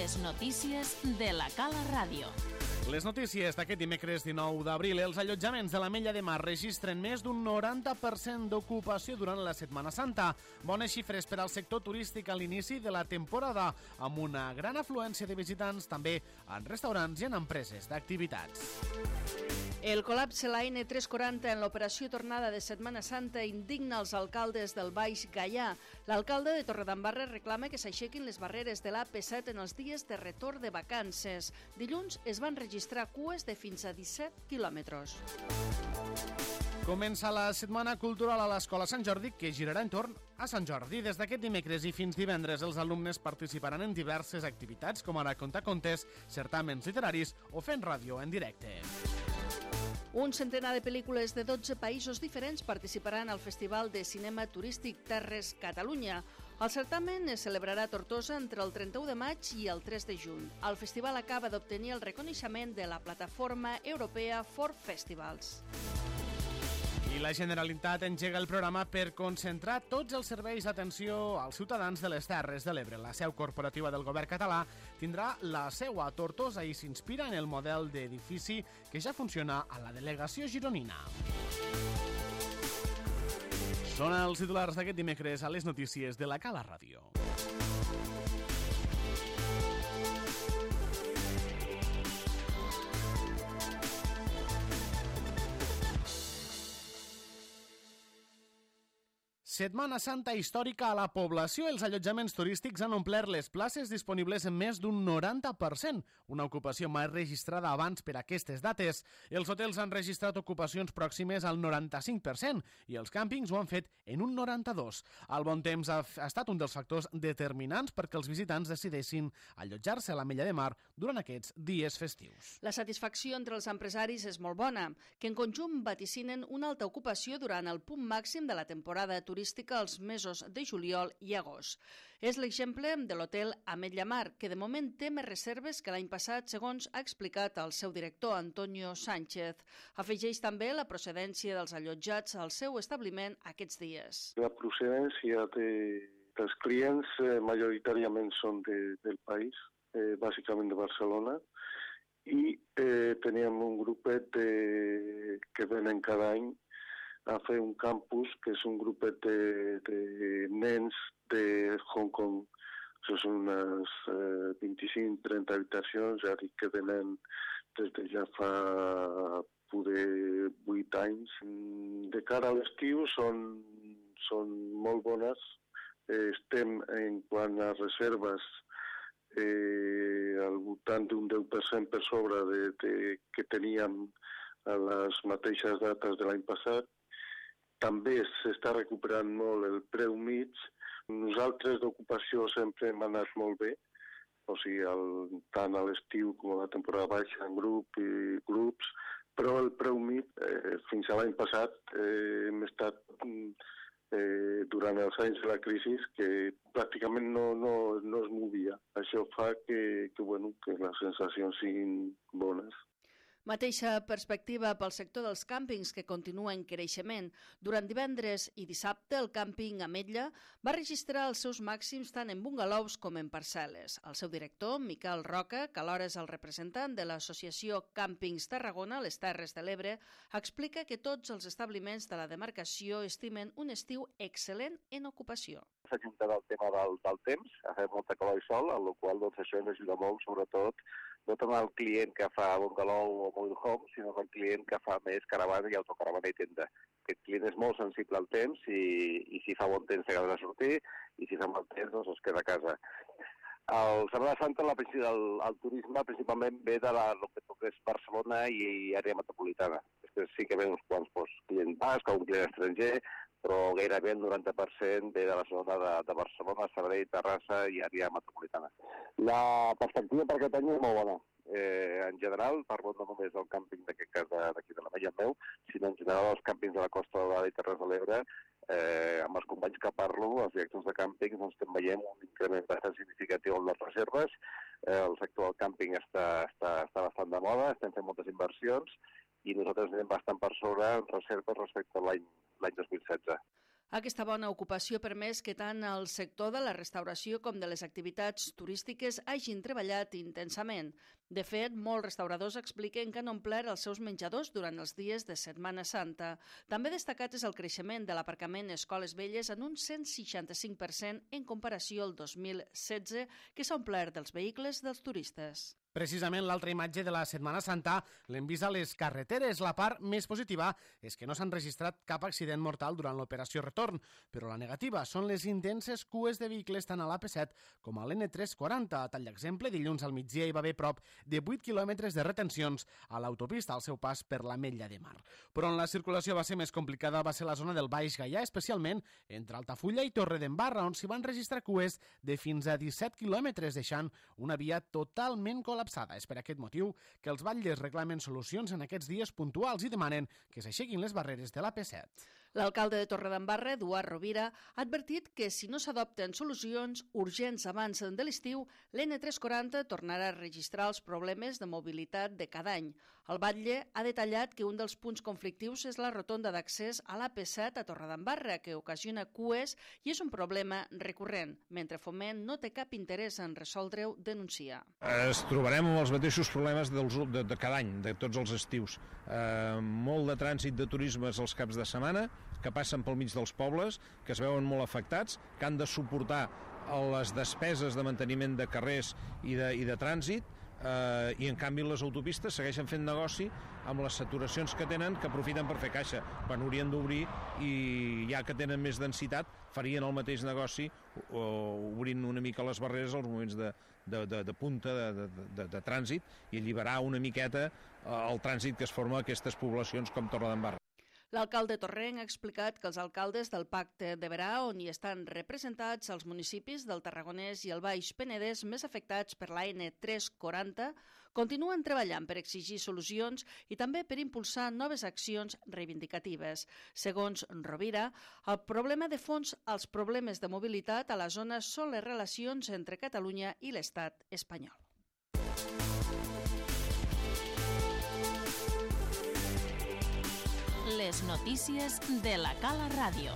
Les notícies de la Cala Ràdio. Les notícies d'aquest dimecres 19 d'abril. Els allotjaments de l'Ametlla de Mar registren més d'un 90% d'ocupació durant la Setmana Santa. Bones xifres per al sector turístic a l'inici de la temporada, amb una gran afluència de visitants també en restaurants i en empreses d'activitats. El col·lapse la N340 en l'operació tornada de Setmana Santa indigna els alcaldes del Baix Gaià. L'alcalde de Torredembarra reclama que s'aixequin les barreres de l'AP7 en els dies de retorn de vacances. Dilluns es van registrar cues de fins a 17 quilòmetres. Comença la Setmana Cultural a l'Escola Sant Jordi, que girarà entorn a Sant Jordi. Des d'aquest dimecres i fins divendres, els alumnes participaran en diverses activitats, com ara contar contes, certàmens literaris o fent ràdio en directe. Un centenar de pel·lícules de 12 països diferents participaran al Festival de Cinema Turístic Terres Catalunya. El certamen es celebrarà a Tortosa entre el 31 de maig i el 3 de juny. El festival acaba d'obtenir el reconeixement de la plataforma europea For Festivals. I la Generalitat engega el programa per concentrar tots els serveis d'atenció als ciutadans de les Terres de l'Ebre. La seu corporativa del govern català tindrà la seu a Tortosa i s'inspira en el model d'edifici que ja funciona a la delegació gironina. Són els titulars d'aquest dimecres a les notícies de la Cala Ràdio. Setmana Santa històrica a la població. Els allotjaments turístics han omplert les places disponibles en més d'un 90%, una ocupació mai registrada abans per aquestes dates. Els hotels han registrat ocupacions pròximes al 95% i els càmpings ho han fet en un 92%. El bon temps ha estat un dels factors determinants perquè els visitants decideixin allotjar-se a l'Ametlla de Mar durant aquests dies festius. La satisfacció entre els empresaris és molt bona, que en conjunt vaticinen una alta ocupació durant el punt màxim de la temporada turística als mesos de juliol i agost. És l'exemple de l'hotel Ametlla Mar, que de moment té més reserves que l'any passat, segons ha explicat el seu director, Antonio Sánchez. Afegeix també la procedència dels allotjats al seu establiment aquests dies. La procedència dels clients majoritàriament són del país, bàsicament de Barcelona, i teníem un grupet que venen cada any a fer un campus, que és un grupet de nens de Hong Kong. Això són unes 25-30 habitacions, ja dic que venen des de ja fa poder 8 anys. De cara a l'estiu són molt bones. Estem, en quant a reserves, al voltant d'un 10% per sobre que teníem a les mateixes dates de l'any passat. També s'està recuperant molt el preu mig. Nosaltres d'ocupació sempre hem anat molt bé, o sigui, tant a l'estiu com a la temporada baixa en grups, però el preu mig, fins a l'any passat, hem estat durant els anys de la crisi que pràcticament no es movia. Això fa que les sensacions siguin bones. Mateixa perspectiva pel sector dels càmpings, que continua en creixement. Durant divendres i dissabte, el càmping Ametlla va registrar els seus màxims tant en bungalous com en parcel·les. El seu director, Miquel Roca, que alhora és el representant de l'associació Càmpings Tarragona, les Terres de l'Ebre, explica que tots els establiments de la demarcació estimen un estiu excel·lent en ocupació. S'ha ajuntat el tema del temps, ha fet molta calor i sol, amb la qual cosa això ens ajuda molt, sobretot no tant el client que fa bungalow o mobile home, sinó el client que fa més caravana i autocaravana i tenda. Aquest client és molt sensible al temps i si fa bon temps s'acaba de sortir i si fa mal temps doncs es queda a casa. El Setmana Santa, el turisme principalment ve de lo que és Barcelona i àrea metropolitana. Després sí que ve uns quants clients basc o un client estranger, però gairebé el 90% ve de la zona de Barcelona, Sabadell, Terrassa i àrea metropolitana. La perspectiva per aquest any és molt bona. En general, parlo no només del càmping d'aquest cas d'aquí de l'Ametlla meu, sinó en general els càmpings de la Costa Daurada i Terres de l'Ebre, amb els companys que parlo, els directors de càmping, doncs veiem un increment bastant significatiu en les reserves. El sector del càmping està bastant de moda, estem fent moltes inversions i nosaltres anem bastant per sobre en reserves respecte a l'any 2016. Aquesta bona ocupació ha permès que tant el sector de la restauració com de les activitats turístiques hagin treballat intensament. De fet, molts restauradors expliquen que han omplert els seus menjadors durant els dies de Setmana Santa. També destacat és el creixement de l'aparcament Escoles Velles en un 165% en comparació al 2016, que s'ha omplert dels vehicles dels turistes. Precisament l'altra imatge de la Setmana Santa l'hem vist a les carreteres. La part més positiva és que no s'han registrat cap accident mortal durant l'operació retorn, però la negativa són les intenses cues de vehicles tant a l'AP7 com a l'N340. A tall d'exemple, dilluns al migdia hi va haver prop de 8 quilòmetres de retencions a l'autopista al seu pas per l'Ametlla de Mar. Però on la circulació va ser més complicada va ser la zona del Baix Gaià, especialment entre Altafulla i Torredembarra, on s'hi van registrar cues de fins a 17 quilòmetres, deixant una via totalment col·lapsada. És per aquest motiu que els batlles reclamen solucions en aquests dies puntuals i demanen que s'aixequin les barreres de l'AP7. L'alcalde de Torredembarra, Eduard Rovira, ha advertit que si no s'adopten solucions urgents abans de l'estiu, l'N340 tornarà a registrar els problemes de mobilitat de cada any. El batlle ha detallat que un dels punts conflictius és la rotonda d'accés a l'AP7 a Torredembarra, que ocasiona cues i és un problema recurrent, mentre Foment no té cap interès en resoldre-ho, denuncia. Es trobarem amb els mateixos problemes de cada any, de tots els estius. Molt de trànsit de turismes als caps de setmana, que passen pel mig dels pobles, que es veuen molt afectats, que han de suportar les despeses de manteniment de carrers i de trànsit, i en canvi les autopistes segueixen fent negoci amb les saturacions que tenen, que aprofiten per fer caixa, quan haurien d'obrir i ja que tenen més densitat farien el mateix negoci obrint una mica les barreres als moments de punta de trànsit i alliberar una miqueta el trànsit que es forma a aquestes poblacions com Torredembarra. L'alcalde torrenc ha explicat que els alcaldes del Pacte de Berà, on hi estan representats els municipis del Tarragonès i el Baix Penedès més afectats per la N340, continuen treballant per exigir solucions i també per impulsar noves accions reivindicatives. Segons Rovira, el problema de fons als problemes de mobilitat a la zona són les relacions entre Catalunya i l'Estat espanyol. Les notícies de la Cala Ràdio.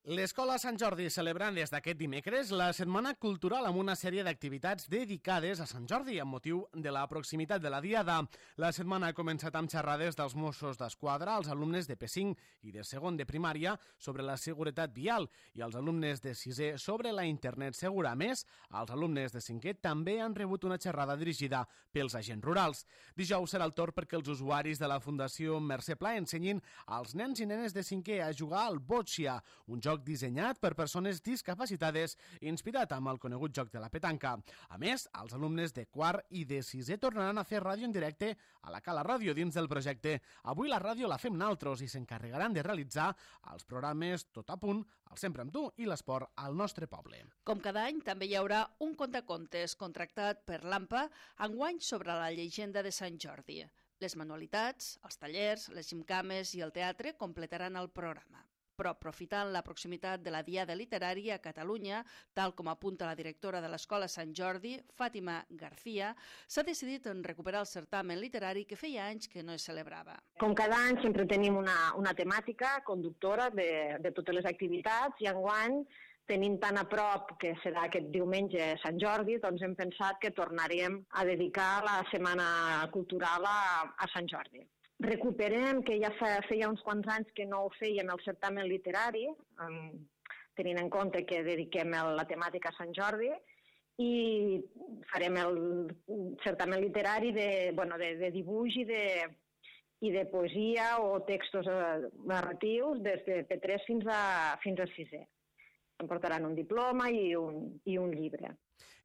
L'Escola Sant Jordi celebrant des d'aquest dimecres la Setmana Cultural amb una sèrie d'activitats dedicades a Sant Jordi amb motiu de la proximitat de la Diada. La setmana ha començat amb xerrades dels Mossos d'Esquadra als alumnes de P5 i de segon de primària sobre la seguretat vial i als alumnes de 6è sobre la internet segura. A més, els alumnes de 5è també han rebut una xerrada dirigida pels agents rurals. Dijous serà el torn perquè els usuaris de la Fundació Mercè Pla ensenyin als nens i nenes de 5è a jugar al boccia, un joc dissenyat per persones discapacitades, inspirat amb el conegut joc de la petanca. A més, els alumnes de quart i de 6è tornaran a fer ràdio en directe a la Cala Ràdio dins del projecte Avui la ràdio la fem naltros i s'encarregaran de realitzar els programes Tot a punt, el Sempre amb tu i l'esport al nostre poble. Com cada any, també hi haurà un contacontes contractat per l'AMPA, enguany sobre la llegenda de Sant Jordi. Les manualitats, els tallers, les gimcames i el teatre completaran el programa. Però aprofitant la proximitat de la Diada Literària a Catalunya, tal com apunta la directora de l'Escola Sant Jordi, Fàtima García, s'ha decidit en recuperar el certamen literari que feia anys que no es celebrava. Com cada any sempre tenim una temàtica conductora de totes les activitats i enguany tenim tan a prop que serà aquest diumenge Sant Jordi, doncs hem pensat que tornaríem a dedicar la Setmana Cultural a Sant Jordi. Recuperem, que ja feia uns quants anys que no ho fèiem, el certamen literari, tenint en compte que dediquem la temàtica a Sant Jordi, i farem el certamen literari de dibuix i de poesia o textos narratius des de P3 fins a 6è. Em portaran un diploma i un llibre.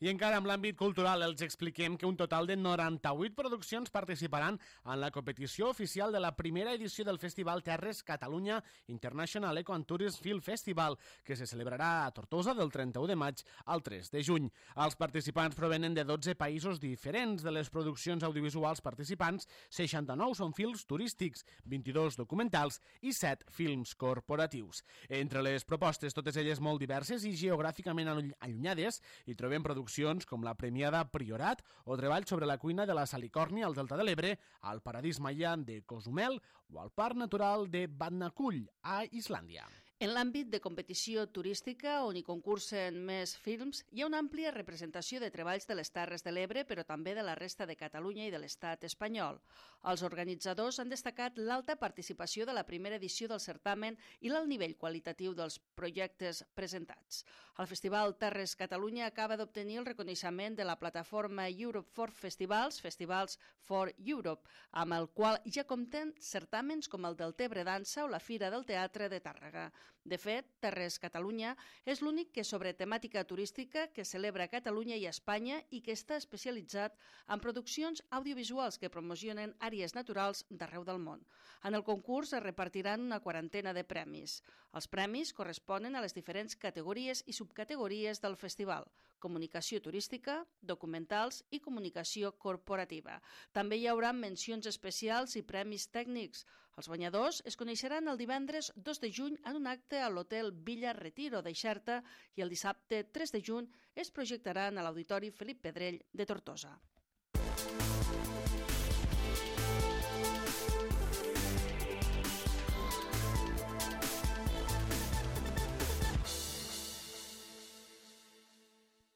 I encara amb l'àmbit cultural els expliquem que un total de 98 produccions participaran en la competició oficial de la primera edició del Festival Terres Catalunya International Eco and Tourism Film Festival, que se celebrarà a Tortosa del 31 de maig al 3 de juny. Els participants provenen de 12 països diferents. De les produccions audiovisuals participants, 69 són films turístics, 22 documentals i 7 films corporatius. Entre les propostes, totes elles molt diverses i geogràficament allunyades, hi trobem trobem produccions com la premiada Priorat o treballs sobre la cuina de la Salicòrnia al Delta de l'Ebre, al Paradís Maia de Cozumel o al Parc Natural de Vatnajökull, a Islàndia. En l'àmbit de competició turística, on hi concursen més films, hi ha una àmplia representació de treballs de les Terres de l'Ebre, però també de la resta de Catalunya i de l'Estat espanyol. Els organitzadors han destacat l'alta participació de la primera edició del certamen i l'alt nivell qualitatiu dels projectes presentats. El Festival Terres Catalunya acaba d'obtenir el reconeixement de la plataforma Europe for Festivals, Festivals for Europe, amb el qual ja compten certàmens com el del Tebre Dansa o la Fira del Teatre de Tàrrega. De fet, Terres Catalunya és l'únic que sobre temàtica turística que celebra Catalunya i Espanya i que està especialitzat en produccions audiovisuals que promocionen àrees naturals d'arreu del món. En el concurs es repartiran una quarantena de premis. Els premis corresponen a les diferents categories i subcategories del festival: comunicació turística, documentals i comunicació corporativa. També hi haurà mencions especials i premis tècnics. Els guanyadors es coneixeran el divendres 2 de juny en un acte a l'Hotel Villa Retiro de Xerta i el dissabte 3 de juny es projectaran a l'Auditori Felip Pedrell de Tortosa.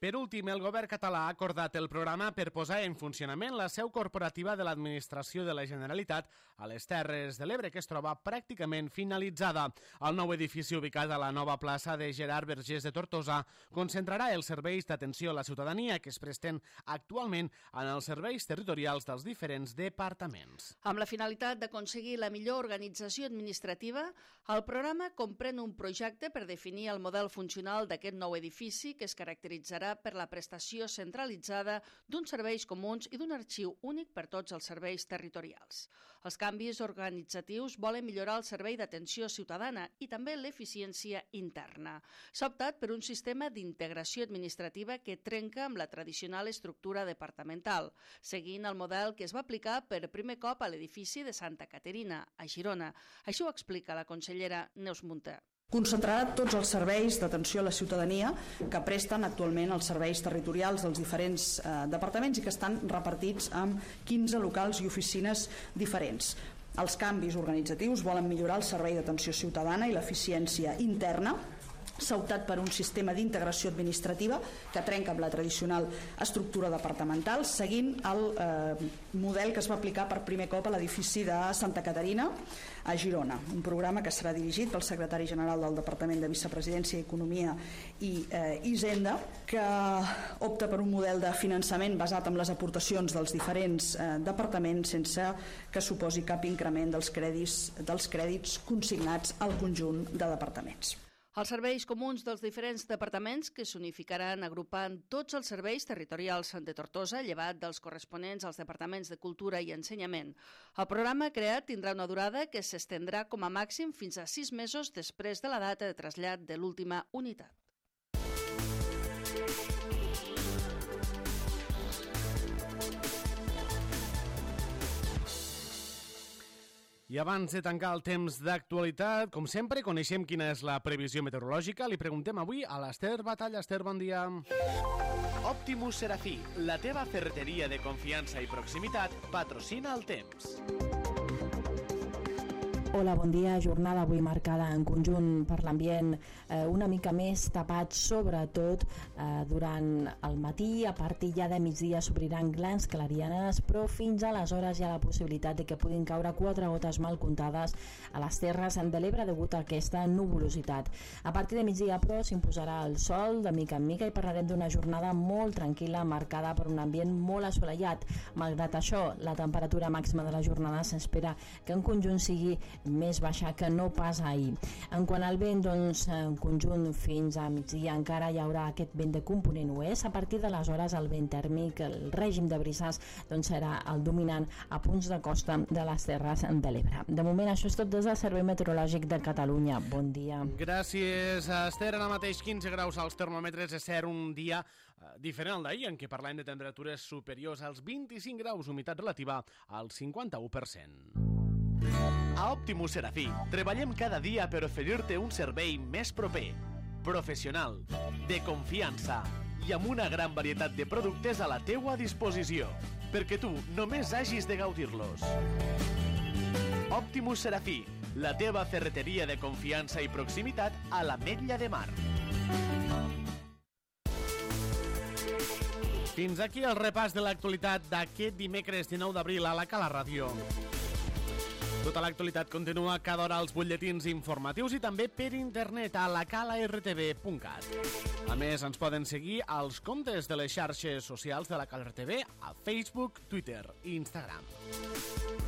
Per últim, el govern català ha acordat el programa per posar en funcionament la seu corporativa de l'Administració de la Generalitat a les Terres de l'Ebre, que es troba pràcticament finalitzada. El nou edifici ubicat a la nova plaça de Gerard Vergés de Tortosa concentrarà els serveis d'atenció a la ciutadania que es presten actualment en els serveis territorials dels diferents departaments. Amb la finalitat d'aconseguir la millor organització administrativa, el programa comprèn un projecte per definir el model funcional d'aquest nou edifici que es caracteritzarà per la prestació centralitzada d'uns serveis comuns i d'un arxiu únic per tots els serveis territorials. Els canvis organitzatius volen millorar el servei d'atenció ciutadana i també l'eficiència interna. S'ha optat per un sistema d'integració administrativa que trenca amb la tradicional estructura departamental, seguint el model que es va aplicar per primer cop a l'edifici de Santa Caterina, a Girona. Això ho explica la consellera Neus Munté. Concentrarà tots els serveis d'atenció a la ciutadania que presten actualment els serveis territorials dels diferents departaments i que estan repartits en 15 locals i oficines diferents. Els canvis organitzatius volen millorar el servei d'atenció ciutadana i l'eficiència interna. S'ha optat per un sistema d'integració administrativa que trenca amb la tradicional estructura departamental, seguint el model que es va aplicar per primer cop a l'edifici de Santa Caterina, a Girona. Un programa que serà dirigit pel secretari general del Departament de Vicepresidència, Economia i Hisenda, que opta per un model de finançament basat en les aportacions dels diferents departaments sense que suposi cap increment dels crèdits consignats al conjunt de departaments. Els serveis comuns dels diferents departaments que s'unificaran agrupant tots els serveis territorials de Tortosa, llevat dels corresponents als departaments de Cultura i Ensenyament. El programa creat tindrà una durada que s'estendrà com a màxim fins a 6 mesos després de la data de trasllat de l'última unitat. I abans de tancar el temps d'actualitat, com sempre, coneixem quina és la previsió meteorològica. Li preguntem avui a l'Ester Batalla. Ester, bon dia. Optimus Serafí, la teva ferreteria de confiança i proximitat, patrocina el temps. Hola, bon dia. Jornada avui marcada en conjunt per l'ambient una mica més tapat, sobretot durant el matí. A partir ja de migdia s'obriran grans clarianes, però fins aleshores hi ha la possibilitat de que puguin caure 4 gotes mal comptades a les terres de l'Ebre degut a aquesta nuvolositat. A partir de migdia, però, s'imposarà el sol de mica en mica i parlarem d'una jornada molt tranquil·la marcada per un ambient molt assolellat. Malgrat això, la temperatura màxima de la jornada s'espera que en conjunt sigui més baixa que no pas ahir. En quant al vent, doncs, en conjunt fins a migdia encara hi haurà aquest vent de component oest. A partir d'aleshores el vent tèrmic, el règim de brises, doncs serà el dominant a punts de costa de les terres de l'Ebre. De moment això és tot des del Servei Meteorològic de Catalunya. Bon dia. Gràcies, Esther. Ara mateix 15 graus als termòmetres. És cert, un dia diferent al d'ahir, en què parlem de temperatures superiors als 25 graus, humitat relativa al 51%. A Optimus Serafí treballem cada dia per oferir-te un servei més proper, professional, de confiança i amb una gran varietat de productes a la teua disposició, perquè tu només hagis de gaudir-los. Optimus Serafí, la teva ferreteria de confiança i proximitat a l'Ametlla de Mar. Fins aquí el repàs de l'actualitat d'aquest dimecres 19 d'abril a la Cala Ràdio. Tota l'actualitat continua cada hora als butlletins informatius i també per internet a lacalartv.cat. A més, ens poden seguir als comptes de les xarxes socials de la Cala RTV a Facebook, Twitter i Instagram.